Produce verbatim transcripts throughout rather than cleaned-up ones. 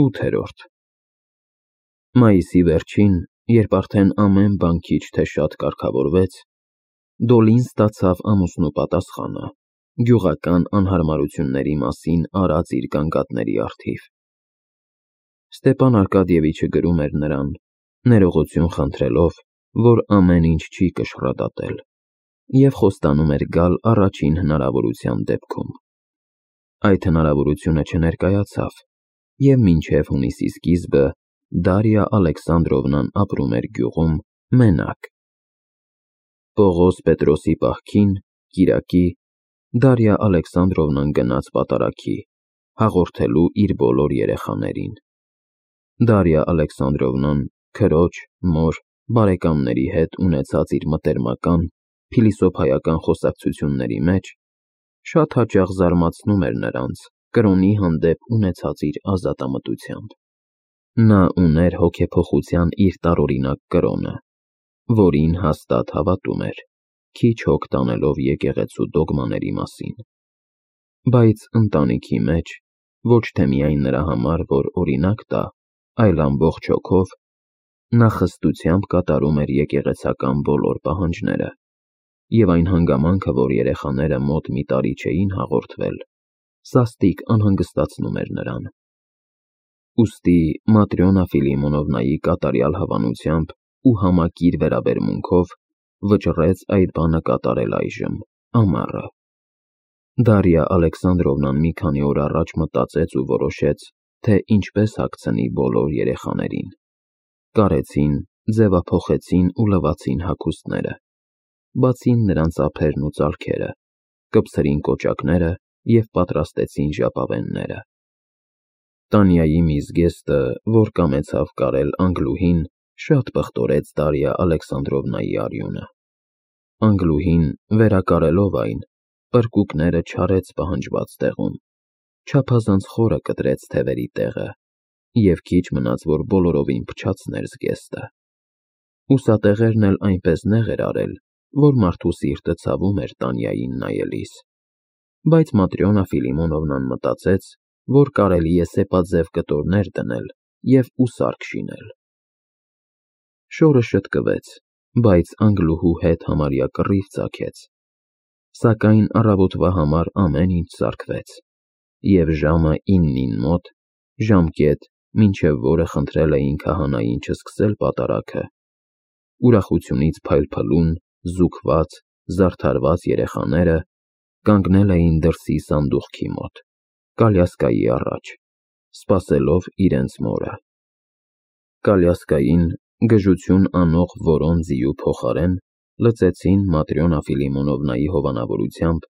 ՈՒԹԵՐՈՐԴ Մայիսի վերջին, երբ արդեն ամեն բան քիչ թե շատ կարգավորվեց, Դոլին ստացավ ամուսնու պատասխանը գյուղական անհարմարությունների մասին արած իր գանգատների առթիվ։ Ստեպան Արկադիևիչը գրում էր նրան, ներողություն խնդրելով, որ ամեն ինչ չի կշռադատել, և խոստանում էր գալ առաջին հնարավորության դեպքում։ Այդ հնարավորությունը չներկայացավ, և մինչև հունիսի սկիզբը Դարիա Ալեքսանդրովնան ապրում էր գյուղում մենակ։ Պողոս Պետրոսի պահքին, կիրակի, Դարիա Ալեքսանդրովնան գնաց պատարագի, հաղորդելու իր բոլոր երեխաներին։ Դարիա Ալեքսանդրովնան քրոջ, մոր, բարեկամների հետ ունեցած իր մտերմական, փիլիսոփայական խոսակցությունների մեջ շատ հաճախ զարմացնում էր նրանց կրոնի հանդեպ ունեցած իր ազատամտությամբ։ Նա ուներ հոգեփոխության իր տարօրինակ կրոնը, որին հաստատ հավատում էր, քիչ հոգ տանելով եկեղեցու դոգմաների մասին։ Բայց ընտանիքի մեջ, ոչ թե միայն նրա համար, որ օրինակ տա, այլ ամբողջ հոգով, նա խստությամբ կատարում էր եկեղեցական բոլոր պահանջները, և այն հանգամանքը, որ երեխաները մոտ մի տարի չէին հաղորդվել, սաստիկ անհանգստացնում էր նրան։ Ուստի Матрյոնա Ֆիլիմոնովնայի կատարյալ հավանությամբ ու համակիր վերաբերմունքով վճռեց այդ բանը կատարել այժմ, ամառը։ Դարիա Ալեքսանդրովնան մի քանի օր առաջ մտածեց ու որոշեց, թե ինչպես հագցնի բոլոր երեխաներին։ Կարեցին, ձևափոխեցին ու լվացին հագուստները, բացին նրանց ափերն ու ծալքերը, կպցրին կոճակները և պատրաստեցին ժապավենները։ Տանյայի մի զգեստը, որ կամեցավ կարել Անգլուհին, շատ պղտորեց Դարիա Ալեքսանդրովնայի արյունը։ Անգլուհին, վերակարելով այն, պրկուկները չարեց պահանջված տեղում, չափազանց խորը կտրեց թևերի տեղը, և քիչ մնաց, որ բոլորովին փչացներ զգեստը։ Ուսատեղերն էլ այնպես նեղ էր արել, որ մարդու սիրտը ցավում էր Տանյային նայելիս, բայց Матрյոնա Ֆիլիմոնովնան մտածեց, որ կարելի է սեպաձև կտորներ դնել և ուսարք շինել։ Շորը շտկվեց, բայց Անգլուհու հետ համարյա կռիվ ծագեց, սակայն առավոտվա համար ամեն ինչ սարքվեց, և ժամը իննին մոտ, ժամկետ, մինչև որը խնդրել էին քահանային չսկսել պատարագը, ուրախությունից փայլփլուն, զուգված, զարդարված երեխաները կանգնել էին դրսի սանդուղքի մոտ, կալյասկայի առաջ, սպասելով իրենց մորը։ Կալյասկային, գժություն անող որոն ձիու փոխարեն, լցեցին Матрյոնա Ֆիլիմոնովնայի հովանավորությամբ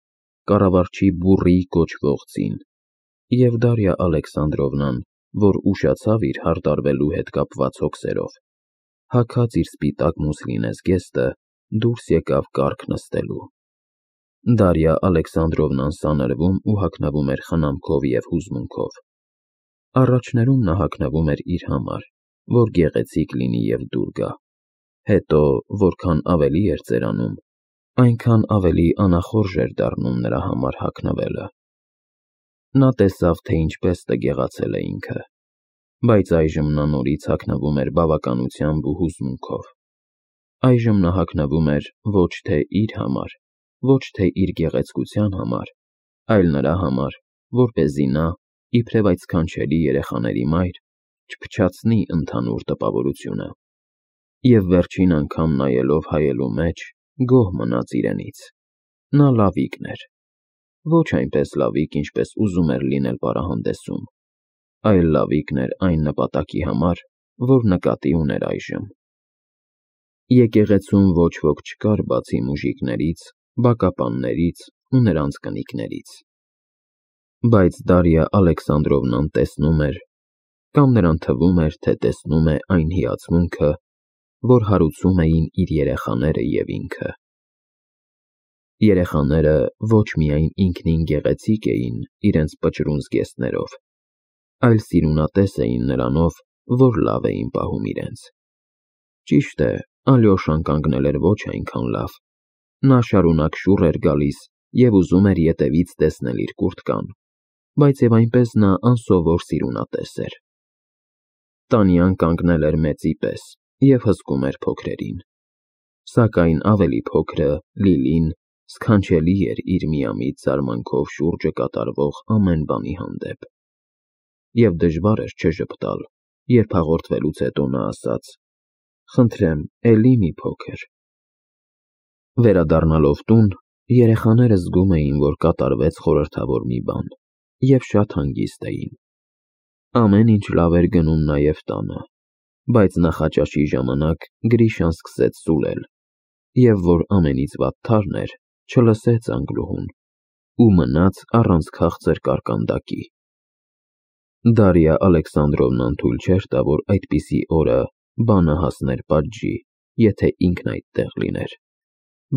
կառավարչի բուռի կոչվող ձին, և Դարիա Ալեքսանդրովնան, որ ուշացավ իր հարդարվելու հետ կապված հոգսերով, հագած իր սպիտակ մուսլինե զգեստը, դուրս եկավ կառք նստելու։ Դարիա Ալեքսանդրովնան սանրվում ու հագնվում էր խնամքով և հուզմունքով։ Առաջներում նա հագնվում էր իր համար, որ գեղեցիկ լինի և դուր գա, հետո, որքան ավելի էր ծերանում, այնքան ավելի անախորժ էր դառնում նրա համար հագնվելը։ Նա տեսավ, թե ինչպես տգեղացել է ինքը, բայց այժմ նա նորից հագնվում էր բավականությամբ ու հուզմունքով։ Այժմ նա հագնվում էր ոչ թե իր համար, ոչ թե իր գեղեցկության համար, այլ նրա համար, որպեսզի նա, իբրև այդ սքանչելի երեխաների մայր, չփչացնի ընդհանուր տպավորությունը, և վերջին անգամ նայելով հայելու մեջ, գոհ մնաց իրենից։ Նա լավիկն էր, ոչ այնպես լավիկ, ինչպես ուզում էր լինել պարահանդեսում, այլ լավիկն էր այն նպատակի համար, որ նկատի ուներ այժմ։ Եկեղեցում ոչ ոք չկար բացի մուժիկներից, բակապաններից ու նրանց կնիկներից։ Բայց Դարիա Ալեքսանդրովնան տեսնում էր, կամ նրան թվում էր, թե տեսնում է այն հիացմունքը, որ հարուցում էին իր երեխաները և ինքը։ Երեխաները ոչ միայն ինքնին գեղեցիկ էին իրենց պճռուն զգեստներով, այլ սիրունատես էին նրանով, որ լավ էին պահում իրենց։ Ճիշտ է, Ալյոշան կանգնել էր ոչ այնքան լավ, նա շարունակ շուռ էր գալիս և ուզում էր ետևից տեսնել իր կուրտկան, բայց և այնպես նա անսովոր սիրունատես էր։ Տանյան կանգնել էր մեծի պես և հսկում էր փոքրերին, սակայն ավելի փոքրը՝ Լիլին, սքանչելի էր իր միամիտ զարմանքով շուրջը կատարվող ամեն բանի հանդեպ, և դժվար էր չժպտալ, երբ հաղորդվելուց հետո նա ասաց. «Խնդրեմ, էլի մի փոքր»։ Վերադառնալով տուն, երեխաները զգում էին, որ կատարվեց խորհրդավոր մի բան, և շատ հանգիստ էին։ Ամեն ինչ լավ էր գնում նաև տանը, բայց նախաճաշի ժամանակ Գրիշան սկսեց սուլել, և որ ամենից վատթարն էր, չլսեց Անգլուհուն ու մնաց առանց քաղցր կարկանդակի։ Դարիա Ալեքսանդրովնան թույլ չէր տա, որ այդպիսի օրը բանը հասներ պատժի, եթե ինքն այդտեղ լիներ,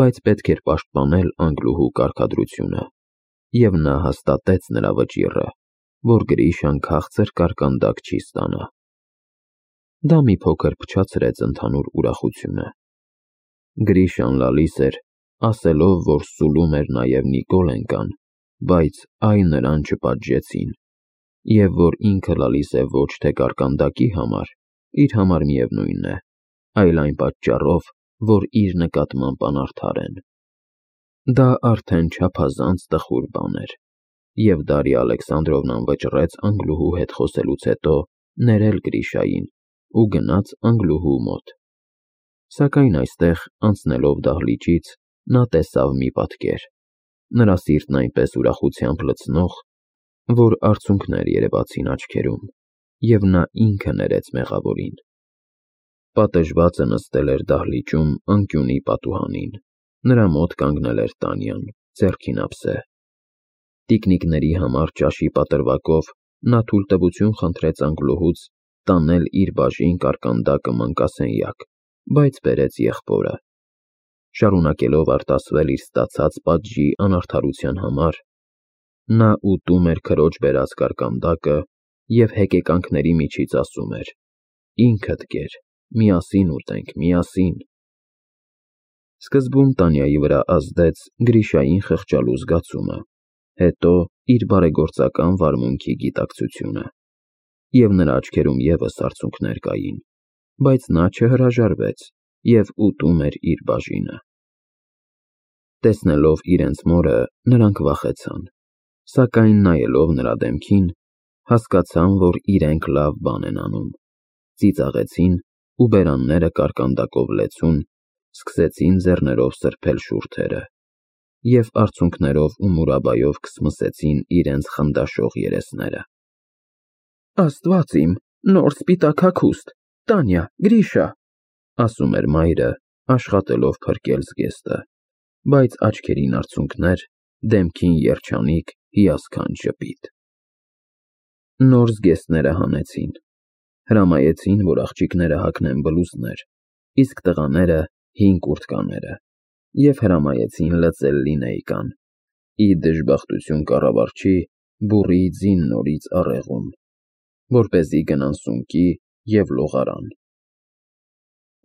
բայց պետք էր պաշտպանել Անգլուհու կարգադրությունը, և նա հաստատեց նրա վճիռը, որ Գրիշան քաղցր կարկանդակ չի ստանա։ Դա մի փոքր փչացրեց ընդհանուր ուրախությունը։ Գրիշան լալիս էր, ասելով, որ սուլում էր նաև Նիկոլենկան, բայց այ նրան չպատժեցին, և որ ինքը լալիս է ոչ թե կարկանդակի համար, իր համար միևնույն է, այլ այն պատճառով, որ իր նկատմամբ անարդար են։ Դա արդեն չափազանց տխուր բան էր, և Դարիա Ալեքսանդրովնան վճռեց Անգլուհու հետ խոսելուց հետո ներել Գրիշային ու գնաց Անգլուհու մոտ։ Սակայն այստեղ, անցնելով դահլիճից, նա տեսավ մի պատկեր, նրա սիրտն այնպես ուրախությամբ լցնող, որ արցունքներ երևացին աչքերում, և նա ինքը ներեց մեղավորին։ Պատժվածը նստել էր դահլիճում անկյունի պատուհանին, նրա մոտ կանգնել էր Տանյան, ձեռքին ափսե։ Տիկնիկների համար ճաշի պատրվակով նա թույլտվություն խնդրեց Անգլուհուց տանել իր բաժին կարկանդակը մանկասենյակ, բայց բերեց եղբորը։ Շարունակելով արտասվել իր ստացած պատժի անարդարության համար, նա ուտում էր քրոջ բերած կարկանդակը և հեկեկանքների միջից ասում էր. «Ինքդ կեր, միասին ուտենք, միասին»։ Սկզբում Տանյայի վրա ազդեց Գրիշային խղճալու զգացումը, հետո իր բարեգործական վարմունքի գիտակցությունը, և նրա աչքերում ևս արցունքներ կային, բայց նա չհրաժարվեց և ուտում էր իր բաժինը։ Տեսնելով իրենց մորը, նրանք վախեցան, սակայն նայելով նրա դեմքին, հասկացան, որ իրենք լավ բան են անում, ծիծաղեցին ու բերանները կարկանդակով լեցուն, սկսեցին ձեռներով սրբել շուրթերը և արցունքներով ու մուրաբայով քսմսեցին իրենց խնդաշող երեսները։ «Աստված իմ, նոր սպիտակ հագուստ, Տանյա, Գրիշա», ասում էր մայրը, աշխատելով փրկել զգեստը, բայց աչքերին արցունքներ, դեմքին երջանիկ, հիասքանչ ժպիտ։ Նոր զգեստները հանեցին, հրամայեցին, որ աղջիկները հագնեն բլուզներ, իսկ տղաները՝ հին կուրտկաները, և հրամայեցին լծել լինեյկան, ի դժբախտություն կառավարչի բուռի ձին նորից առեղում, որպեսզի գնան սունկի և լողարան։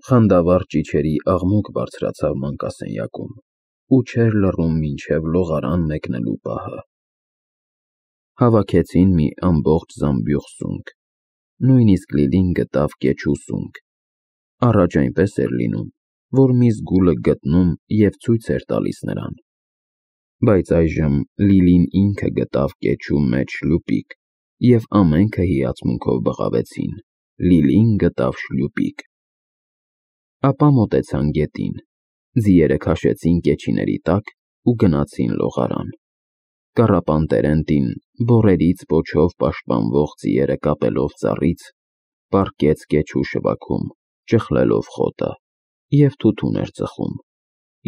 Խանդավառ ճիչերի աղմուկ բարձրացավ մանկասենյակում ու չէր լռում մինչև լողարան մեկնելու պահը։ Հավաքեցին մի ամբողջ զամբյուղ սունկ, նույնիսկ Լիլին գտավ կեչու սունկ։ Առաջ այնպես էր լինում, որ մի զգուլը գտնում և ցույց էր տալիս նրան, բայց այժմ Լիլին ինքը գտավ կեչու մեջ շլուպիկ, և ամենքը հիացմունքով բղավեցին. Լիլին գտավ շլուպիկ։ Ապա մոտեցան գետին, ձիերը քաշեցին կեչիների տակ ու գնացին լողարան։ Կառապան Տերենտին, բոռերից պոչով պաշտպանվող ձիերը կապելով ծառից, պառկեց կեչու շվաքում, ճխլելով խոտը, և թութուն էր ծխում,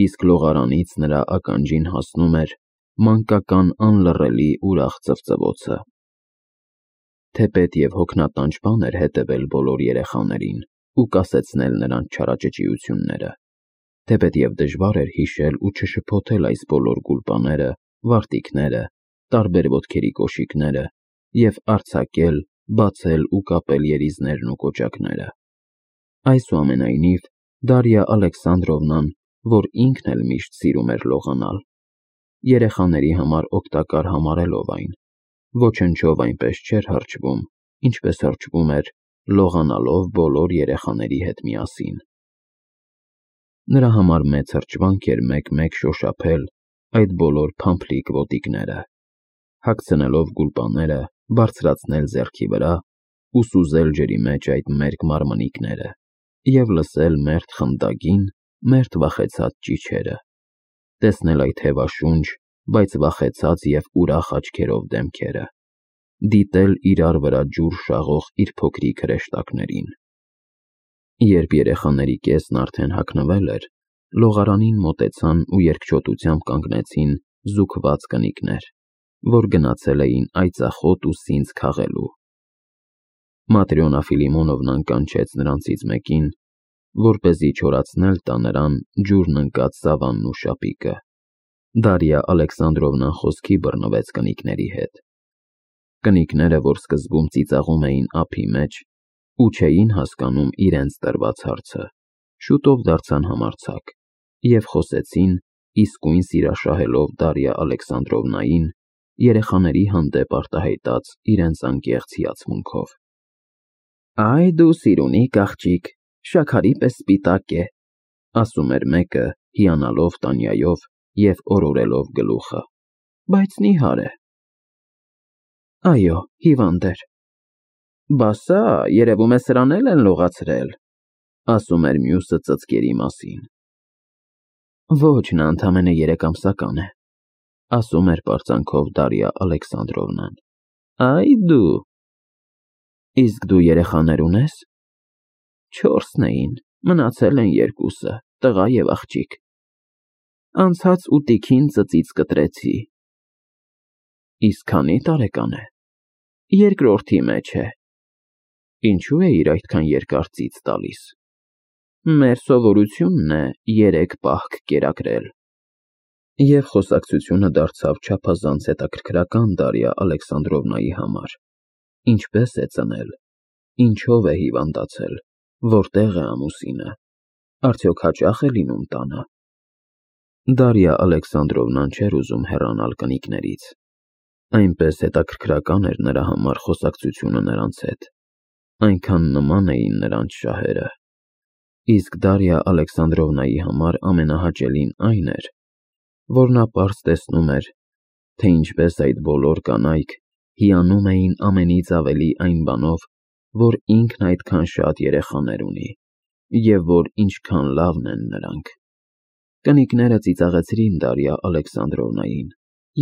իսկ լողարանից նրա ականջին հասնում էր մանկական անլռելի ուրախ ծվծվոցը։ Թեպետ և հոգնատանչ բան էր հետևել բոլոր երեխաներին ու կասեցնել նրանց չարաճճիությունները, թեպետ և դժվար էր հիշել ու չշփոթել այս բոլոր գուլպաները, վարտիքները, տարբեր ոտքերի կոշիկները և արձակել, բացել ու կապել երիզներն ու կոճակները։ Այսուամենայնիվ, Դարիա Ալեքսանդրովնան, որ ինքն էլ միշտ սիրում էր լողանալ, երեխաների համար օգտակար համարելով այն, ոչնչով այնպես չէր հրճվում, ինչպես հրճվում էր լողանալով բոլոր երեխաների հետ միասին։ Նրա համար մեծ հրճվանք էր մեկ-մեկ շոշափել այդ բոլոր փամփլիկ ոտիկները, հագցնելով գուլպաները, բարձրացնել ձեռքի վրա ու սուզել ջրի մեջ այդ մերկ մարմնիկները և լսել մերթ խնդագին, մերթ վախեցած ճիչերը, տեսնել այդ հևաշունչ, բայց վախեցած և ուրախ աչքերով դեմքերը, դիտել իրար վրա ջուր շաղող իր փոքրիկ հրեշտակներին։ Երբ երեխաների կեսն արդեն հագնվել էր, լողարանին մոտեցան ու երկչոտությամբ կանգնեցին զուգված կնիկներ, որ գնացել էին այծախոտ ու սինձ քաղելու։ Матрյոնա Ֆիլիմոնովնան կանչեց նրանցից մեկին, որպեսզի չորացնել տա նրան ջուրն ընկած սավանն ու շապիկը։ Դարիա Ալեքսանդրովնան խոսքի բռնվեց կնիկների հետ։ Կնիկները, որ սկզբում ծիծաղում էին ափի մեջ ու չէին հասկանում իրենց տրված հարցը, շուտով դարձան համարձակ և խոսեցին, իսկույն սիրաշահելով Դարիա Ալեքսանդրովնային, երեխաների հանդեպ արտահայտած իրենց անկեղծ հիացմունքով։ «Այ դու սիրունիկ աղջիկ, շաքարի պես սպիտակ է», ասում էր մեկը, հիանալով Տանյայով և օրորելով գլուխը, բայց նիհար է։ «Այո, հիվանդ էր»։ «Բա սա, երևում է, սրան էլ են լողացրել», ասում էր մյուսը ծծկերի մասին։ «Ոչ, նա ընդամենը երեկամսական է», ասում էր պարծանքով Դարիա Ալեքսանդրովնան։ «Այ դու… Իսկ դու երեխաներ ունե՞ս»։ «Չորսն էին, մնացել են երկուսը, տղա և աղջիկ։ Անցած ուտիքին ծծից կտրեցի»։ «Իսկ քանի՞ տարեկան է»։ «Երկրորդի մեջ է»։ «Ինչու էիր այդքան երկար ծիծ տալիս»։ «Մեր սովորությունն է երեք պահք կերակրել»։ Եվ խոսակցությունը դարձավ չափազանց հետաքրքրական Դարիա Ալեքսանդրովնայի համար. ինչպես է ծնել, ինչով է հիվանդացել, որտեղ է ամուսինը, արդյոք հաճա՞խ է լինում տանը։ Դարիա Ալեքսանդրովնան չէր ուզում հեռանալ կնիկներից, այնպես հետաքրքրական էր նրա համար խոսակցությունը նրանց հետ, այնքան նման էին նրանց շահերը։ Իսկ Դարիա Ալեքսանդրովնայի համար ամենահաճելին այն էր, որ նա պարզ տեսնում էր, թե ինչպես այդ բոլոր կանայք հիանում էին ամենից ավելի այն բանով, որ ինքն այդքան շատ երեխաներ ունի, և որ ինչքան լավն են նրանք։ Կնիկները ծիծաղեցրին Դարիա Ալեքսանդրովնային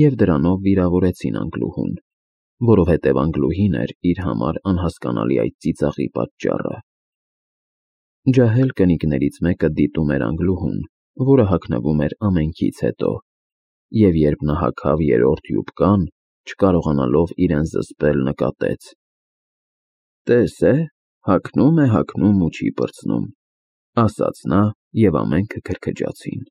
և դրանով վիրավորեցին Անգլուհուն, որովհետև Անգլուհին էր իր համար անհասկանալի այդ ծիծաղի պատճառը։ Ջահել կնիկներից մեկը դիտում էր Անգլուհուն, որը հագնվում էր ամենքից հետո, և երբ նա հագավ երրորդ յուբկան, չկարողանալով իրեն զսպել, նկատեց. «Տես է, հագնում է, հագնում ու չի պրծնում», ասաց նա, և ամենքը քրքջացին։